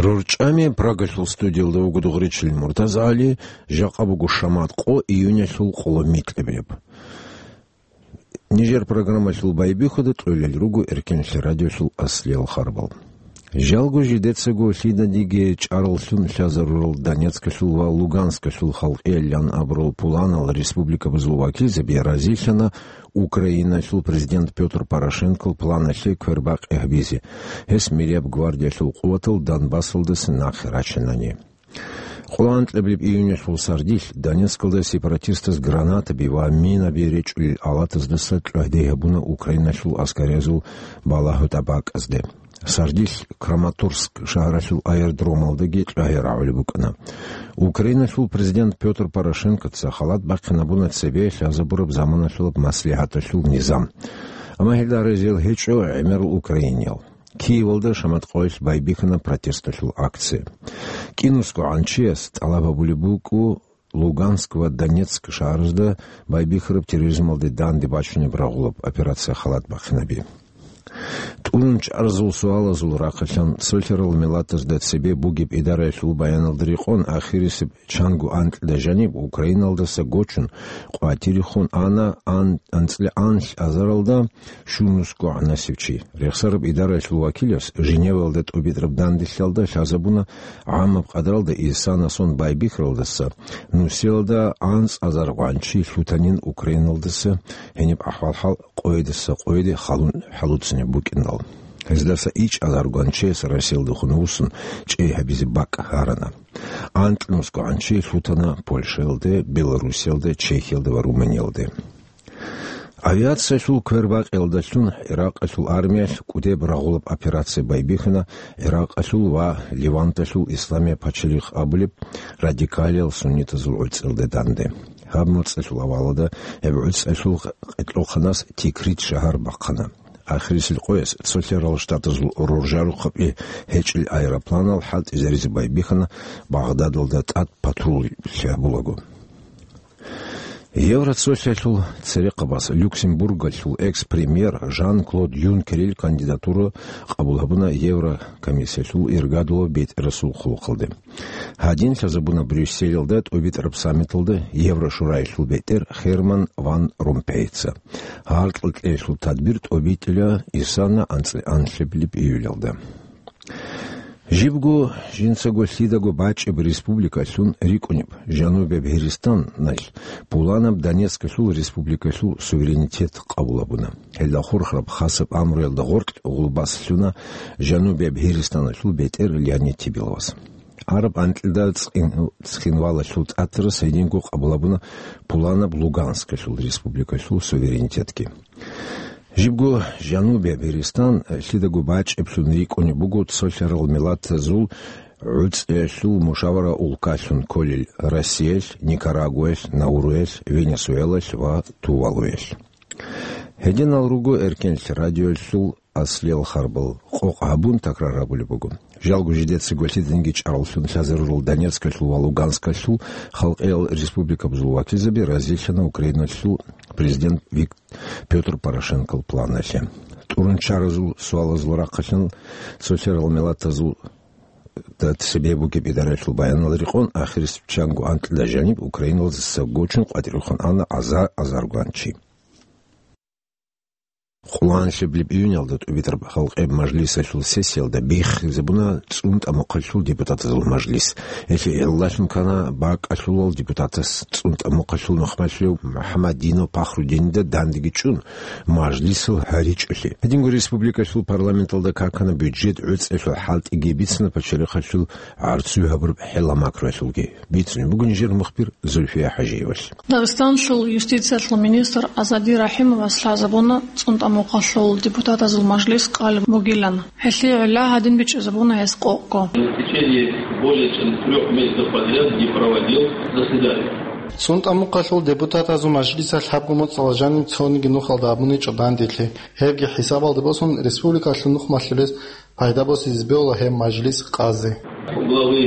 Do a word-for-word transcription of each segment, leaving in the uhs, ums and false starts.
РорчӀами Прагалъул студиялда вуго Дугъричил МуртазагӀали, жакъа буго шамат къо, июнялъул къоло микьабилеб. Нижер программалъул байбихьуда кьолел руго Эркенлъи радиолъул аслиял харбал. Жалго жидецаго лъиданиги чӀараллъун лъазарурал Донецкалъул ва Луганскалъул халкъиялъан абурал пуланал республикабазул вакилзаби разилъана Украиналъул президент Пётр Порошенкол планалъе квербакъи гьабизе, гьес мирияб гвардиялъул къуватал Донбассалдаса нахъе рачанани. Къоло анкьабилеб июнялъул сардилъ Донецкалда сепаратистаз гранатаби ва минаби речӀчӀулел алатаздаса кьвагьде гьабуна Украиналъул аскариязул балагьу тӀабакӀазде. Сардилъ Краматорск шагьаралъул аэродромалдаги кьвагье рагӀулеб букӀана. Украиналъул президент Пётр Порошенкоца халат бахъинабуна цебе лъазабураб заманалъулаб маслигӀаталъул низам. Амма гьелда разиял гьечӀо гӀемерал украиниял. Киевалда шамат къоялъ байбихьана протесталъул акция. КӀинусго гӀанчияс тӀалаб гьабулеб букӀу Луганск ва Донецк шагьаразда байбихьараб терроризмалде данде бачунеб рагъулаб операция халат бахъинаби. ТӀурун чӀарзул суалазул рахъалъан цолъарал миллатазда цебе бугеб идараялъул баяналда рекъон, ахирисеб чанго анкьда жаниб Украиналдаса гочун къватӀирехун ана ан-, анцӀила анлъ азаралда щунусго гӀанасев чи. Рехсараб идараялъул вакилас Женеваялда тӀубитӀараб данделъалда лъазабуна гӀамаб къадралда Исанасон байбихьаралдаса нусиялда анцӀазар гъванчи лъутанин Украиналдаса гьениб ахӀвал-хӀал къойидаса къойиде халун хӀалуцинеб букӀиндал. Гьездаса ичӀазар гъванчияс Россиялдехун вуссун чӀей гьабизе бакӀ гьарана. Анкьнусго гӀанчи лъутана Польшаялде, Беларусиялде, Чехиялде ва Румыниялде. Авиациялъул квербакъиялдалъун Иракъалъул армиялъ кӀудеб рагъулаб операция байбихьана Иракъалъул ва Леванталъул Исламияб пачалихъ абулеб радикалиял суннитазул гӀуцӀиялде данде. Гьаб моцӀалъул авалалда гьеб гӀуцӀиялъул къе-, къикълохъанас Тикрит шагьар бахъана. Ахирисел къояс цолъарал штатазул роржарухъаби гьечӀел аэропланал хӀалтӀизаризе байбихьана Багъдадалда тӀад патруль лъабулаго. Евроцолъиялъул церехъабаз Люксембургалъул экс-премьер Жан-Клод Юнкерил кандидатура къабул гьабуна Еврокомиссиялъул иргадулав бетӀерасул хъулухъалде. Гьадин лъазабуна Брюсселалда тӀубитӀараб саммиталда Еврошураялъул бетӀер Херман ван Ромпейица. Гьаркьал кьеялъул тадбир тӀубитӀила Исана анцӀила анлъабилеб июлялда. Жибго жинцаго лъидаго бачӀеб республикалъун рикӀкӀунеб Жанубияб Гьиристаналъ пуланаб Донецкалъул республикалъул суверенитет къабул гьабуна. Гьелда хурхараб хасаб амруялда гъоркь гъулбас лъуна Жанубияб Гьиристаналъул бетӀер Леонид Тибиловас. Араб анкьида цӀин-, цхинвалалъул тӀатарас гьединго къабул гьабуна пуланаб Луганскалъул республикалъул суверенитетги. Жибго Жанубияб Гьиристан лъидаго бачӀеблъун рикӀкӀунеб буго цолъарал миллатазул гӀуцӀиялъул мушавара улкалъун кколел Россиялъ, Никарагуаялъ, Науруялъ, Венесуэлалъ ва Тувалуялъ. Гьединал руго Эркенлъи радиоялъул аслиял харбал, къокъ гьабун такрар гьабулеб буго. Жалго жидецаго лъиданги чӀараллъун лъазарурал Донецкалъул ва Луганскалъул халкъиял республикабазул вакилзаби разилъана Украиналъул президент Вик-, Пётр Порошенкол планалъе. ТӀурун чаразул суалазул рахъалъан цолъарал миллатазул да цебе бугеб идараялъул баянал рекъон, ахирисеб чанго анкьда жаниб Украиналдаса гочун къватӀирехун ана аза-, азаргван чи. Къуланлъиблеб июнялда тӀубитӀараб халкъияб мажлисалъул сессиялда биххизабуна ЦӀунтӀа-Мухъалъул депутатазул мажлис. Гьелъие гӀиллалъун ккана бакӀалъулал депутатас ЦӀунтӀа-Мухъалъул нухмалъулев МухӀаммадинов Пахрудинида дандеги чӀун, мажлисал гьаричӀолъи. Гьединго республикалъул парламенталда какана бюджет гӀуцӀиялъул хӀалтӀиги, бицана пачалихъалъул гӀарцуй гьабураб хӀела-макруялъулги. Бицунеб буго нижер мухбир Зульфия ХӀажиевалъ. Дагъистанлъул юстициялъул министр Азади Рахимовас лъазабуна ЦӀунтӀа-Мухъалъул депутатазул мажлис къалеб бугилан. Гьелъие гӀилла гьадин бичӀчӀизабуна гьес къокъго. В течение более чем трёх месяцев подряд не проводил заседаний. ЦӀунтӀа-Мухъалъул депутатазул мажлисалъ гьабго моцӀалда жаниб цониги нухалда абуничӀо данделъи. Гьебги хӀисабалде босун, республикалъул нухмалъулес пайда босизе бегьула гьеб мажлис къазе. У главы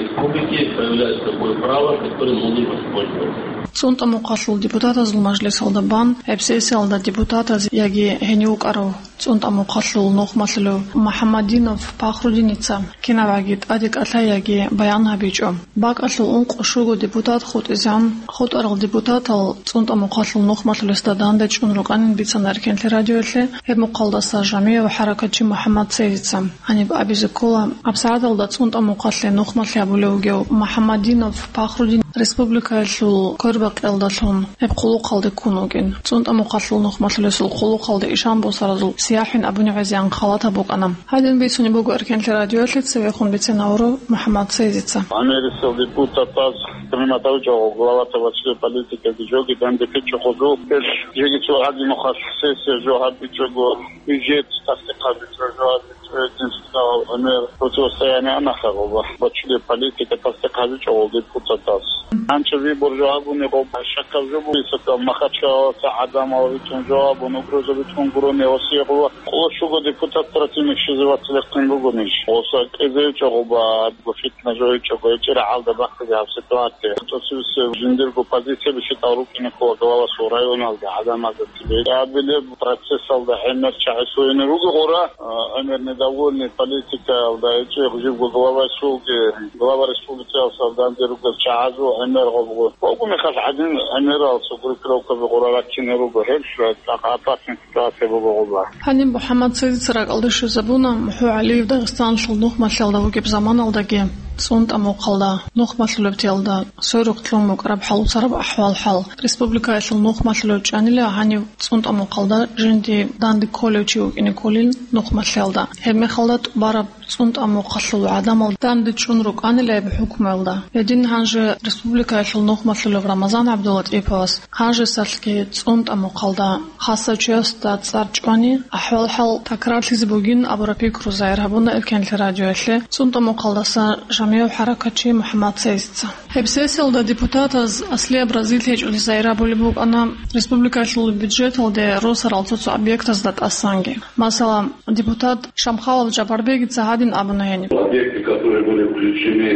республики появляется такое право, которым он не воспользовался. ЦӀунтӀа-Мухъалъул депутатазул мажлисалда бан гьеб сессиялда депутатаз яги гьенив вукӀарав ЦӀунтӀа мухъалъул нухмалъулев МухӀаммадинов Пахрудиница кинабгӀаги тӀаде кӀалъай яги баян гьабичӀо. БакӀалъул ункъо-щуго депутат хутӀизегӀан, хутӀарал депутатал ЦӀунтӀа мухъалъул нухмалъулесда данде чӀун рукӀанин бицана Эркенлъи радиоялъе гьеб мухъалдаса жамияв хӀаракатчи МухӀаммад Цейзица. Гьаниб абизе ккола, абсагӀаталда ЦӀунтӀа мухъалъе нухмалъи абулев вугев МухӀаммадинов Пахрудин республикаялъул квербакъиялдалъун гьеб хъулухъалде ккун вугин. ЦӀунтӀа мухъалъул нухмалъулесул хъулухъалде ишан босаразул сияхӀин абуни гӀезегӀан халатаб букӀана. Гьадин бицунеб буго Эркенлъи радиоялъе цевехун бицен авурав МухӀаммад Цейзица. Америкасул депутатаз принимать гьабичӀого главата ва член политикаги жоги данде бичӀчӀо хъузу. Гьел жеги цо гьадинухъа сессия жо гьабичӀого, бюджет тасдикъ гьабичӀого жо гьабичӀого, гьедин цӀакъ гӀемер противостояние анахъа гъоба. Ва член политика тасдикъ гьабичӀого депутатаз. Гьанчо выбор жо гьабуни гъоба, щакаб жо бугесакал, Махачкалаласа гӀадамал витун жо гьабун, угроза битун гурони Россия гъоба. Къоло щуго депутат противник щизе вацлехъин бугонищ? Оса кӀезевичӀого ба, фитна жойчӀого, гьечӀира гӀалда бахъизе гьаб ситуация. ТӀоцебесеб жиндирго позицияби щитӀал рукӀине ккола главасул районалда гӀадамазда цебе. Абилеб процессалда гӀемер чагӀи суйни руго гъура, а, гӀемер недовольный политикаялда гьечӀеб жибго главасулги, глава республикаялсал данде ругел чагӀазул гӀемер гъобго. Гъобго мехалъ гӀадин гӀемерал цо группировкаби гъура раккине руго, гьеб цӀакъ опасный ситуация буго гъоба. Гьаниб МухӀаммад Цейзица ракӀалде щвезабуна, МухӀу ГӀалиев Дагъистаналъул нухмалъиялда вугеб заманалдаги, ЦӀунтӀа мухъалда нухмалъулебтиялда сверухъ лъун букӀараб хӀалуцараб ахӀвал-хӀал. Республикаялъул нухмалъулев чӀанила гьанив ЦӀунтӀа мухъалда жинди данде кколев чи вукӀине кколин нухмалъиялда. Гьеб мехалда тӀубараб ЦӀунтӀа мухъалъул гӀадамал данде чӀун рукӀанила гьеб хӀукмуялда. Гьедин гьанже республикаялъул нухмалъулев Рамазан ГӀабдуллатӀиповас гьанжесалъги ЦӀунтӀа мухъалда хасав чиясда цӀар чӀвани, ахӀвал-хӀал такрарлъизе бугин абураб пикру загьир гьабуна Эркенлъи радиоялъе ЦӀунтӀа мухъалдаса жамияв хӀаракатчи МухӀаммад Цейзица. Гьеб сессиялда депутатаз аслияб разилъи гьечӀолъи загьир гьабулеб букӀана республикалъул бюджеталде росарал цо-цо объектазда тӀасанги. Масала, депутат Шамхалов Жабарбегица гьадин абуна гьениб. Объекты, которые были включены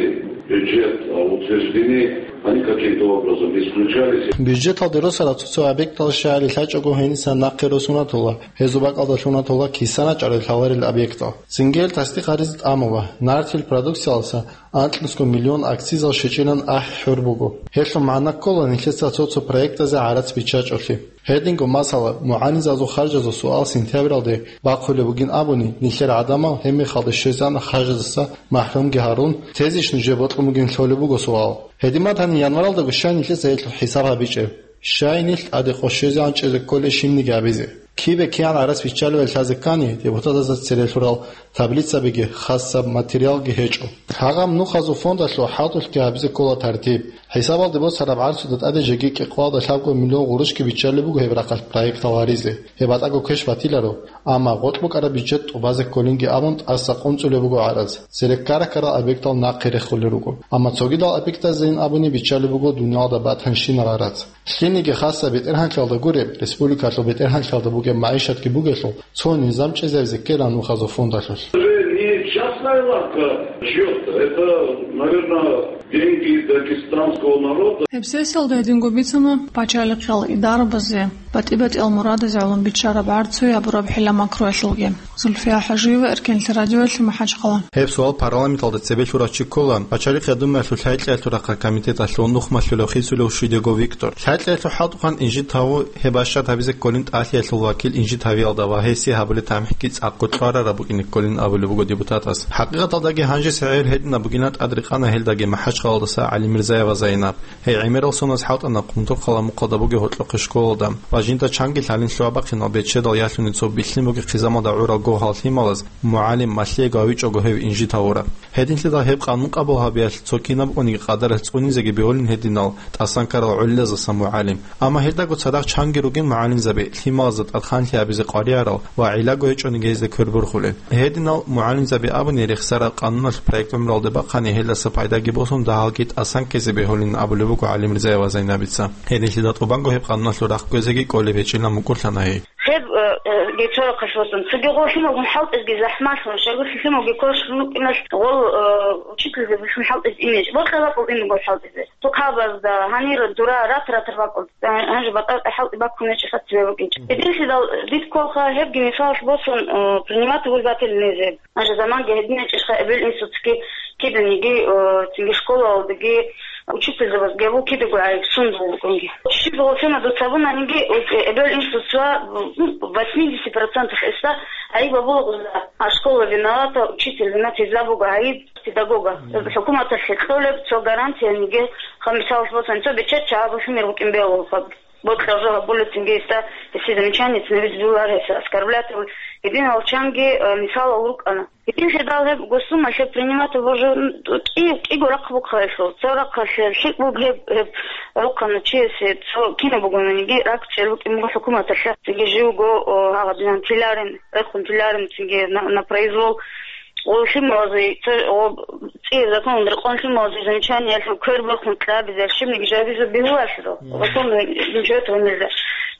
в бюджет, а, утверждены, они каким-то образом исключались. Бюджеталде росарал цо-цо объектал щайили лъачӀого гьениса нахъе росунатула, гьезул бакӀалда лъунатула кисана чӀарал лъаларел объектал. Цинги гьел тасдикъ гьаризе тӀамула, нартил продукциялдаса анкьнусго миллион акцизал щечӀилан ахӀи хӀур буго. Гьелъул магӀна ккола, нилъеца цо-цо проектазе гӀарац биччачӀолъи. Гьединго, масала, мугӀалимзабазул харжазул суал сентябралде бахъулеб бугин абуни, нилъер гӀадамал гьеб мехалда щвезегӀан харжаздаса махӀрумги гьарун, тезищ нужее бокьун бугин лъолеб буго суал. Гьедин батани, январалдаго щай нилъеца гьелъул хӀисаб гьабичӀеб? Щай нилъ тӀаде къо щвезегӀан чӀезе кколей щибниги абизе? Кибе кигӀан гӀарац биччалевали лъазе ккани, депутатазда цере лъурал таблицабиги, хасаб материалги гьечӀо. Гьагъаб нухазул фондалъул хӀалтӀулъги гьабизе ккола тартиб. ХӀисабалде босараб гӀарцуда тӀаде жеги кӀикъоялда лъабго миллион гъурущги биччалеб буго гьеб рахъалъ проектал гьаризе. Гьеб батӀаго квеш батиларо, амма гъоркь букӀараб бюджет тӀубазе кколинги абун тӀаса къунцӀулеб буго гӀарац. Цереккара-ккарал объектал нахъе рехулел руго. Амма цогидал объектазейин абуни биччалеб буго дуниялда батанщинаб гӀарац. Лъилниги хасаб бетӀергьанлъиялда гуреб, республикалъул бетӀергьанлъиялда бугеб магӀишатги бугелъул, цо низам чӀезабизе ккела нухазул фондалъулъ. Уже не частная лавка чьё-то, это, наверное, деньги дагестанского народа. Гьеб сессиялда гьединго бицана пачалихъал идарабазе батӀи-батӀиял мурадазе гӀоло биччараб гӀарцуе гьабураб хӀила-макруялъулги. Зульфия ХӀажиева, Эркенлъи радиоялъе, МахӀачхъала. Гьеб суал парламенталда цебе лъурав чи ккола, Пачалихъ Думаялъул лъай-кьиялъул рахъалъ комитеталъул нухмалъулев Хисулев Шидего Виктор. Лъай-кьиялъул хӀалтӀухъан инжит гьаву гьеб бащад гьабизе кколин тӀалъиялъул вакил инжит гьавиялда ва гьесие гьабулеб тамихӀги цӀакъго кьварараб букӀине кколин абулеб буго депутатас. ХӀакъикъаталдаги гьанжеса гӀемер гьединаб бугилан тӀад рекъана гьелдаги МахӀачхъалалдаса ГӀалимирзаева Зайнаб. Гьей гӀемерал соналъ хӀалтӀана Хъумтурхъала мухъалда бугеб гьоркьохъеб школалда ва жинда чанги лъалин лъугьа-бахъинал бечедал ялъуни цо билълъин бугеб хъизамалда гӀурал гогьал лъималаз мугӀалим малъиего гьавичӀого гьев инжит гьавураб. Гьединлъидал гьеб къанун къабул гьабиялъ цо кинаб униги къадаралъ цӀунизеги бегьулин гьединал тӀасан ккарал гӀолилаздаса мугӀалим. Амма гьелдаго цадахъ чанги ругин мугӀалимзаби, лъималазда тӀад ханлъи гьабизе къваригӀарал ва гӀилаго гьечӀониги гьезда квербурхулел. Гьединал мугӀалимзаби абуни рехсараб къануналъ проект гӀумруялде бахъани гьелдаса пайдаги босун дагьалги тӀасан ккезе бегьулин абулеб буго ГӀалимирзаева Зайнабица. Гьединлъидал тӀубанго гьеб къануналъул рахъ гвезеги кӀолеб гьечӀилан мукӀурлъана гьей. Гьеб, э, э, гьеб цо рахъалъ босун. Цоги гъо лъималгун хӀалтӀизги захӀмалъун, щайгурелъул лъималги кошун рукӀиналъ гъол, э, учительзабилъун хӀалтӀизе ине. Борхъи бакӀул ине гъол хӀалтӀизе. Тукабазда, гьанир дура ратратар бакӀул. Гьанже батӀа-батӀа хӀалтӀи баккун гьечӀо, хъацӀи букӀинчӀо. Гьединлъидал дид кколха гьебги мисалалъ босун, э, принимать воспитатель незе. Гьанже заманги гьедин гьечӀищха эбел-инсуцги киданиги, э, цинги школалдаги учительзабазги абу кидаго гӀайиб сундул букӀунги. Щиб гъосина дуца абунаниги, э, эбел-инсуца, ну, восемьдесят процентов эса гӀайиб абула гъуза. А школа виновата, учитель виноват, гьезда буго гӀайиб педагога. ХӀукуматалъе кьолеб цо гарантияниги, ха, мисалалъ босани, цо бечедав чагӀазулъ гьумер букӀин бегьулаха. Бокьарав жо гьабулецинги гьесда, гьесие замечание цинабизе бегьуларо, гьес оскорблять гьабулел. Гьединал чанги, э, мисалал рукӀана. Гьединлъидал гьеб госума лъеб принимать бугеб жо, м, кӀи-, кӀиго рахъ букӀа гьелъул. Цо рахъалъе лъикӀ буго гьеб, гьеб рукӀана чи гьесие, цо кинаб бугониги ракӀчӀел букӀин буго хӀукуматалъе. Цинги живго, о, гьагъадинан тиларин, рехун тиларин, цинги на, на произвол. О, лъималазе, цо, о, ЦӀияб законалда рекъон лъималазе замечаниялъул квер борхун кьабизе, щибниги жабизе бегьуларо. Мгм. Законный бюджет гьунилда.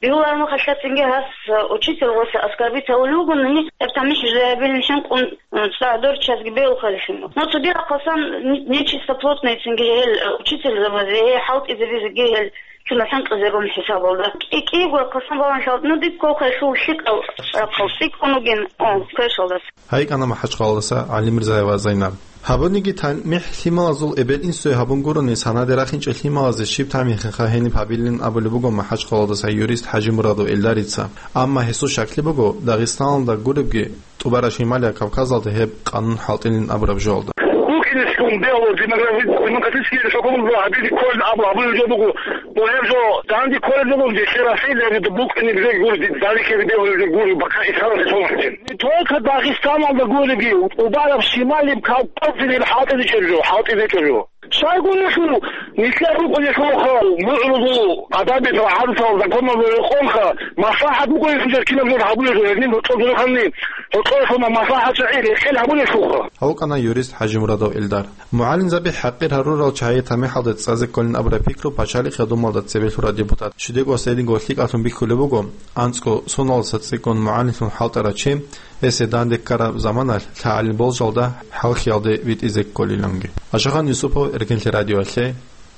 Бегьуларо махалъацинги гьас, э, учитель гъоса оскорбить гьавулев вугони, гьеб тамихӀ жо гьабилин хӀинкъун, э, цӀакъ дорччазги бегьулхъали лъимал. Но цоги рахъасан не-, нечистоплотныйцинги гьел, э, учительзабазе, гьей хӀалтӀизабизеги гьел лъимал хӀинкъизе рун хӀисабалда. КӀи-, кӀиго рахъасан балан хӀалтӀи, ну, диб кколха гьелъул лъикӀал рахъал цӀикӀкӀун вугин, о, квешалдаса. ГьайикӀана МахӀачхъалаялдаса ГӀалимирзаева Зайнаб. Гьабуниги, тамихӀ лъималазул эбел-инсуе гьабунгурони, санаде рахинчӀел лъималазе щиб тамихӀинха гьениб гьабилин абулеб буго МахӀачхъалаялдаса юрист ХӀажимурадов Эльдарица. Амма гьесул щаклъи буго, Дагъистаналда гуребги, ТӀубараб Шималияб Кавказалда гьеб къанун хӀалтӀилин абураб жоялда. БукӀинелъул бегьула демографи-, демократический хӀукуматалда гьабизе кколин абу гьабулеб жо буго. Гьеб жо данде кколеб жо буго, гьеб Россиялда букӀине бегьула, данде кколеб бегьула гури, бакъа исаласе сонахъе. Не только Дагъистаналда гуриги, ТӀубараб Шималияб Кавказалда гьеб хӀалтӀизечӀеб жо, хӀалтӀизечӀеб жо. Щайгурелъул, нилъер рукӀунелъулха, мугӀрузул, гӀадабилъул, гӀадатал, законалда рекъонха, маслахӀат бугони, кинаб жо гьабулеб жо, гьедин гьоркьоб жо ханни, гьоркьоялъуна маслахӀат чагӀи рекъел гьабулелъулха. Гьавукьана юрист ХӀажимурадов Эльдар. МугӀалимзаби хӀакъир гьарурал чагӀи тамихӀалде цӀазе кколин абураб пикру пачалихъе думалда цебе лъураб депутат, щиб кӀвар гьединго лъикӀалъун бихьулеб буго, анцӀго соналдаса цӀикӀкӀун мугӀалимлъун хӀалтӀарав чи, гьесие данде ккараб заманалъ лъагӀалил болжалда хӀалхьиялде витӀизе кколиланги. Ашахан Юсупов, Эркенлъи радиоялъе,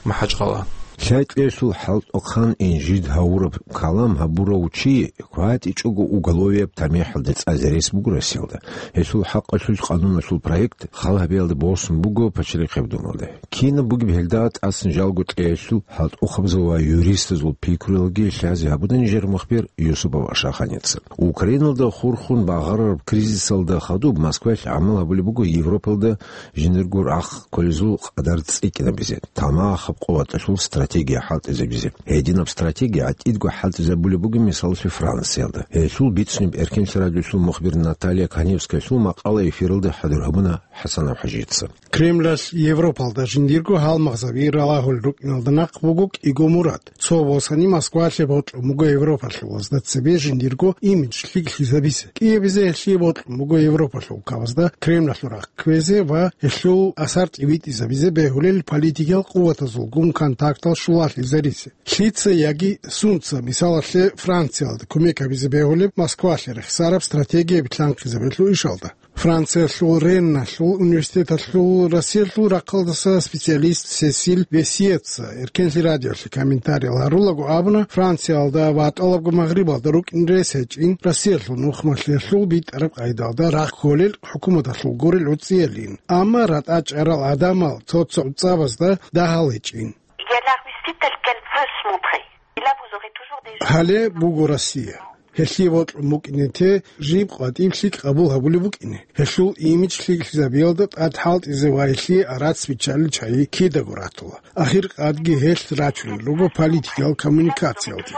МахӀачхъала. Лъай кьешлъул хӀалтӀухъан инжит гьавураб калам гьабурав чи хьватӀичӀого уголовияб тамихӀалде цӀазе рес буго Россиялда. Гьелъул хӀакъалъулъ къануналъул проект хал гьабиялде босун буго пачалихъеб думалде. Кинаб бугеб гьелда тӀасан жалго кьешлъул хӀалтӀухъабазул ва юристазул пикруялги лъазе гьабуна нижер мухбир Юсупов Ашаханица. Украиналда хурхун багъарараб кризисалда хадуб Москваялъ гӀамал гьабулеб буго Европалда жиндирго рахъ кколезул къадар цӀикӀкӀинабизе, тамахаб къуваталъул стратегия хӀалтӀизабизе. Гьединаб стратегия гӀатӀидго хӀалтӀизабулеб буго, мисалалъе, Франциялда. Гьелъул бицунеб Эркенлъи радиоялъул мухбир Наталья Каневскаялъул макъала эфиралда хӀадур гьабуна ХӀасанов ХӀажица. Кремлалъ Европалда жиндирго гьалмагъзаби ралагьулел рукӀиналда нахъ буго кӀиго мурад. Цо босани, Москвалъе бокьун буго европалъулазда цебе жиндирго имидж лъикӀлъизабизе. КӀиабизе гьелъие бокьун буго Европалъул кавазда Кремлалъул рахъ кквезе ва гьелъул асар тӀибитӀизабизе бегьулел политикиял къуватазулгун контактал щулалъизаризе. Лъица яги сунца, мисалалъе, Франциялда кумек гьабизе бегьулеб Москвалъе рехсараб стратегия битлъанхъизабиялъул ишалда. Франциялъул Ренналъул университеталъул Россиялъул рахъалдаса специалист Сесиль Весиеца Эркенлъи радиоялъе комментариял гьарулаго абуна, Франциялда ва тӀалабго Магърибалда рукӀин рес гьечӀин Россиялъул нухмалъиялъул битӀараб къайдалда рахъ кколел хӀукуматалъул гурел гӀуцӀиялин, амма ратӀа чӀарал гӀадамал цо-цо гӀуцӀабазда дагьал гьечӀин. Il y a la Russie telle qu'elle veut se montrer. Гьале буго Россия. Гьелъие бокьун букӀине те, жиб къватӀиб лъикӀ къабул гьабулеб букӀине. Гьелъул имидж лъикӀлъизабиялда тӀад хӀалтӀизе ва гьелъие арат биччалел чагӀи кидаго ратула. Ахиркъадги гьелъ рачунел руго политикиял коммуникациялде.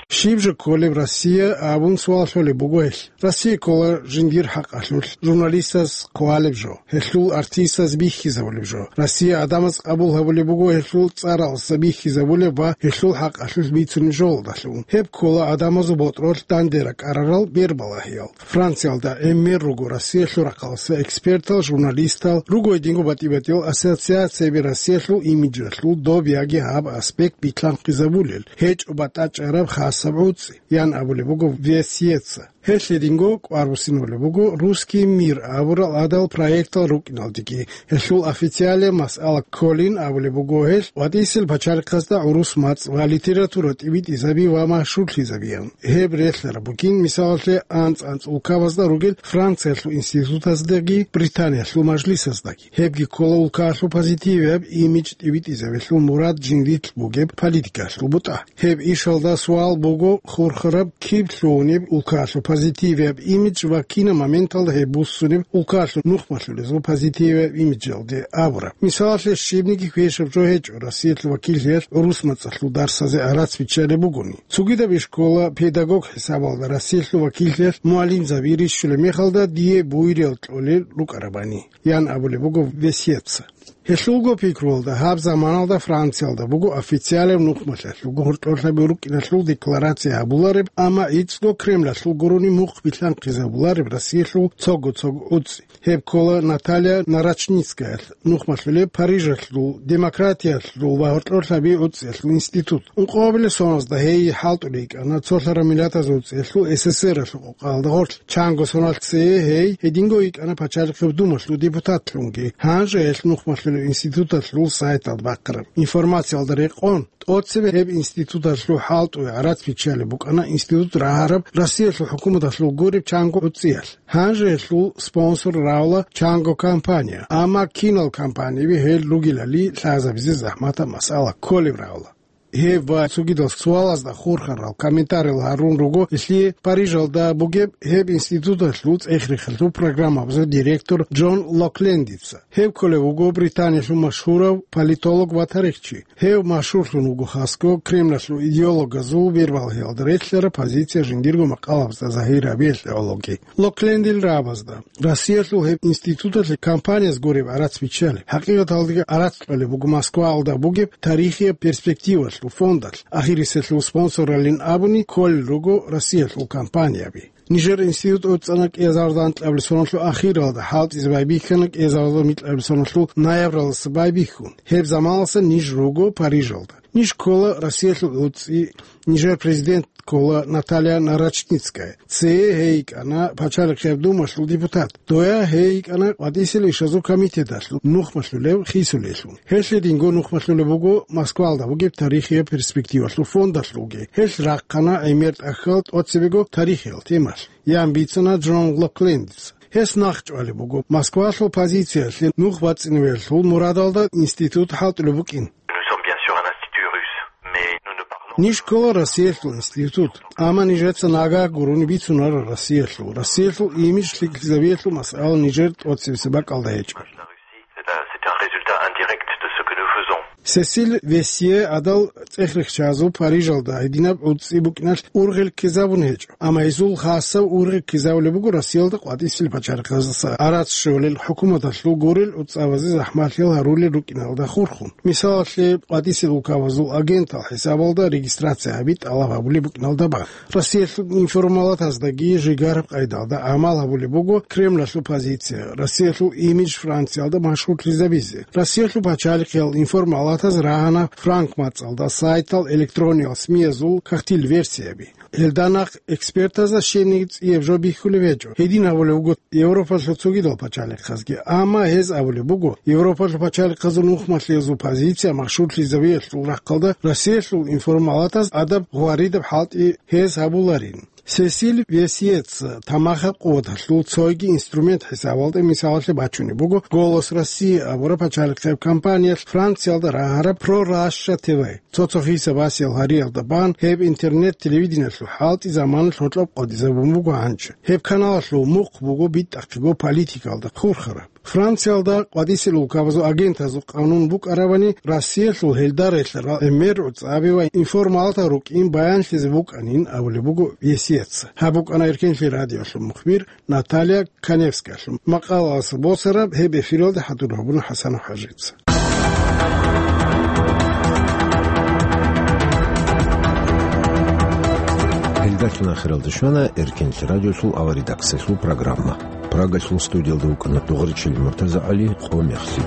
Щиб жо кколеб Россия абун суал лъолеб буго гьелъ. Россия ккола жиндир хӀакъалъулъ журналистаз хъвалеб жо, гьелъул артистаз бихьизабулеб жо, Россия гӀадамаз къабул гьабулеб буго гьелъул цӀаралдаса бихьизабулеб ва гьелъул хӀакъалъулъ бицунеб жоялдалъун. Гьеб ккола гӀадамазул ботӀролъ данде ракӀарарал бербалагьиял. Франциялда гӀемер руго Россиялъул рахъалдаса экспертал, журналистал, руго гьединго батӀи-батӀиял ассоциацияби Россиялъул имиджалъул доб яги гьаб аспект битлъанхъизабулел. гьечӀо батӀачӀараб хасаб гӀуцӀи, ян абулеб буго Весьеца. Гьелъ гьединго кӀвар буссиналеб буго «Русский мир» абурал гӀадал проектал рукӀиналдеги. Гьелъул официалияб масъала кколин абулеб буго гьелъ ВатӀисел пачалихъазда гӀурус мацӀ ва литература тӀибитӀизаби ва машгьурлъизабиян. Гьеб релълъараб бугин, мисалалъе, анцӀ-анцӀ улкабазда ругел Франциялъул институтаздаги Британиялъул мажлисаздаги. Гьебги ккола улкаялъул позитивияб имидж тӀибитӀизабилъул мурад жиндилъ бугеб политикаялъул бутӀа. Гьеб ишалда суал буго хурхараб, киб лъугьунеб улкаялъул позитивияб имидж ва кинаб моменталда гьеб буссунеб улкаялъул нухмалъулезул позитивияб имиджалде абураб. Мисалалъе, щибниги квешаб жо гьечӀо Россиялъул вакиллъиялъ гӀурус мацӀалъул дарсазе гӀарац биччалеб бугони. Цогидаб ишкола педагог хӀисабалда Россиялъул вакиллъиялъ мугӀалимзаби рищулеб мехалда дие буйриял кьолел рукӀарабани, ян абулеб буго Весьеца. Гьелъулго пикруялда, гьаб заманалда Франциялда буго официалияб нухмалъиялъул гугьурлъолъаби рукӀиналъул декларация гьабулареб, амма гӀицӀго Кремлалъул гурони мухъ билълъанхъизабулареб Россиялъул цого-цого гӀуцӀи. Гьеб ккола Наталья Нарочницкаялъ нухмалъулеб Парижалъул демократиялъул ва гьоркьорлъаби гӀуцӀиялъул институт. Ункъоабилеб соналда гьей хӀалтӀулей йикӀана цолъараб миллатазул гӀуцӀиялъул СССР-алъул къокъаялда гъорлъ. Чанго соналъ цее гьей гьединго йикӀана Пачалихъеб Думалъул депутатлъунги. Гьанже гьелъ нухмалъулеб институталъул сайталда бахъараб информациялда рекъон, тӀоцебе гьеб институталъул хӀалтӀуе гӀарац биччалеб букӀана институт рагьараб Россиялъул хӀукуматалъул гуреб чанго гӀуцӀиялъ. Гьанже гьелъул спонсор равла чанго компания, амма кинал компаниби гьел ругелали лъазабизе захӀматаб масъала кколеб равла. Гьеб ва цогидал суалазда хурхарал комментариял гьарун руго гьелъие Парижалда бугеб гьеб институталъул цӀех-рехалъул программабазул директор Джон Локлендица. Гьев кколев вуго Британиялъул машгьурав политолог ва тарихчи. Гьев машгьурлъун вуго хасго Кремлалъул идеологазул бербалъиялда релълъараб позиция жиндирго макъалабазда загьир гьабиялъе гӀологи. Локлендил рагӀабазда Россиялъул гьеб институталъе компанияз гуреб гӀарац биччалеб. ХӀакъикъаталдаги гӀарац кьолеб буго Москваялда бугеб тарихияб перспективалъул фондалъ, ахириселъул спонсоралин абуни кколел руго Россиялъул компанияби. Нижер институт цӀана кӀиазарда анкьабилеб соналъул ахиралда, хӀалтӀизе байбихьана кӀиазарда микьабилеб соналъул ноябралдаса байбихьун. Гьеб заманалдаса ниж руго Парижалда. Ниж ккола Россиялъул гӀуцӀи, нижер президент ккола Наталья Нарочницкая. Цее гьей йикӀана Пачалихъеб Думалъул депутат. Доя гьей йикӀана КъватӀисел ишазул комитеталъул нухмалъулев хисулелъул. Гьелъ гьединго нухмалъулеб буго Москвалда бугеб тарихияб перспективалъул фондалъулги. Гьелъ рахъана гӀемер тӀахьал тӀоцебего тарихиял темалъ, ян бицана Джон Локлендица. Гьес нахъчӀвалеб буго Москвалъул позициялъе нух бацӀцӀинабиялъул мурадалда институт хӀалтӀулеб букӀин. Nous sommes bien sûr un institut russe, mais nous ne parlons Ниж ккола Россиялъул институт, амма нижеца нагагь гурони бицунара Россиялъул. Россиялъул имидж лъикӀлъизабиялъул масъала нижер тӀоцебесеб бакӀалда гьечӀо. C'est un, c'est un résultat indirect de ce que nous faisons. Сесиль Весье гӀадал цӀех-рехчазул Парижалда гьединаб гӀуцӀи букӀиналъ ургъел ккезабун гьечӀо, амма гьезул хасаб ургъел ккезабулеб буго Россиялда къватӀисел пачалихъаздаса гӀарац щолел, хӀукуматалъул гурел гӀуцӀабазе захӀмалъиял гьарулел рукӀиналда хурхун. Мисалалъе, къватӀисел улкабазул агентал хӀисабалда регистрация гьаби тӀалаб гьабулеб букӀиналда бан. Россиялъул информалатаздаги жигараб къайдалда гӀамал гьабулеб буго Кремлалъул позиция, Россиялъул имидж Франциялда машгьурлъизабизе. Россиялъул пачалихъиял информалатаз рагьана франк мацӀалда сайтал, электрониял СМИ-язул кагътил версияби. Гьелда нахъ экспертазда щибниги цӀияб жо бихьулеб гьечӀо. Гьедин абулеб буго Европалъул цогидал пачалихъазги. Амма гьез абулеб буго, Европалъул пачалихъазул нухмалъиязул позиция машгьурлъизабиялъул рахъалда Россиялъул информалатаз адаб гъваридаб хӀалтӀи гьез гьабуларин. Сесиль Весьеца тамахаб къуваталъул цойги инструмент хӀисабалда мисалалъе бачунеб буго «Голос России» абураб пачалихъеб компаниялъ Франциялда рагьараб «Про Раша Т В». Цо-цо хиса-басиял гьариялда бан гьеб интернет-телевидениялъул хӀалтӀи заманалъ гьоркьоб къотӀизабун буго гьанже. Гьеб каналалъул мухъ буго битӀахъего политикалда хурхараб. Франциялда къватӀисел улкабазул агентазул къанун букӀарабани, Россиялъул гьелда релълъарал гӀемер гӀуцӀаби ва информалатал рукӀин баянлъизе букӀанин абулеб буго Весьеца. Гьаб букӀана Эркенлъи радиолъул мухбир Наталья Каневскаялъул макъалаялдаса босараб, гьеб эфиралда хӀадур гьабуна ХӀасанов ХӀажица. Гьелдалъун ахиралда щвана Эркенлъи радиолъул аваридаксалъул программа. Прагалъул студиялда вукӀана Дугъричил МуртазагӀали, къо мехлъи.